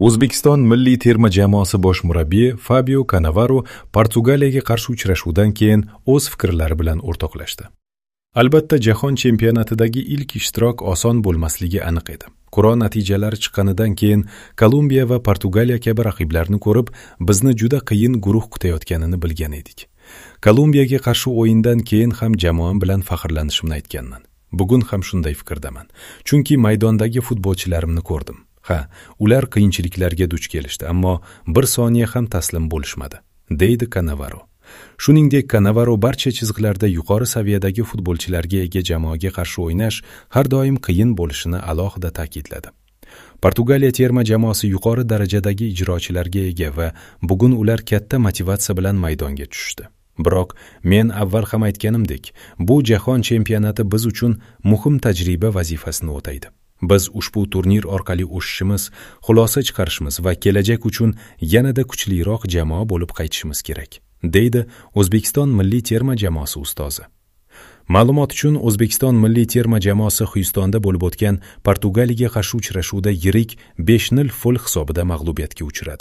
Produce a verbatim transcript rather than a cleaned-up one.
O'zbekiston milliy terma jamoasi bosh murabbiyi Fabio Kanavaro Portugaliyaga qarshi uchrashuvdan keyin o'z fikrlari bilan o'rtoqlashdi. Albatta, jahon chempionatidagi ilk ishtirok oson bo'lmasligi aniq edi. Qur'a natijalari chiqqanidan keyin Kolumbiya va Portugaliya kabi raqiblarni ko'rib, bizni juda qiyin guruh kutayotganini bilgan edik. Kolumbiyaga qarshi o'yindan keyin ham jamoam bilan faxrlanishimni aytganman. Bugun ham shunday fikrdaman. Chunki maydondagi futbolchilarimni ko'rdim. Ha, ular qiyinchiliklarga duch kelishdi, ammo bir soniya ham taslim bo'lishmadi, deydi Kanavaro. Shuningdek, Kanavaro barcha chiziqlarda yuqori saviyadagi futbolchilarga ega jamoaga qarshi o'ynash har doim qiyin bo'lishini alohida ta'kidladi. Portugaliya terma jamoasi yuqori darajadagi ijrochilarga ega va bugun ular katta motivatsiya bilan maydonga tushdi. Biroq men avval ham aytganimdek, bu jahon chempionati biz uchun muhim tajriba vazifasini o'taydi. Biz ushbu turnir orqali o'sishimiz, xulosa chiqarishimiz va kelajak uchun yanada kuchliroq jamoa bo'lib qaytishimiz kerak, deydi O'zbekiston milliy terma jamoasi ustozi. Ma'lumot uchun, O'zbekiston milliy terma jamoasi Xyustonda bo'lib o'tgan Portugaliyaga qarshi uchrashuvda yirik besh nol fol hisobida mag'lubiyatga uchradi.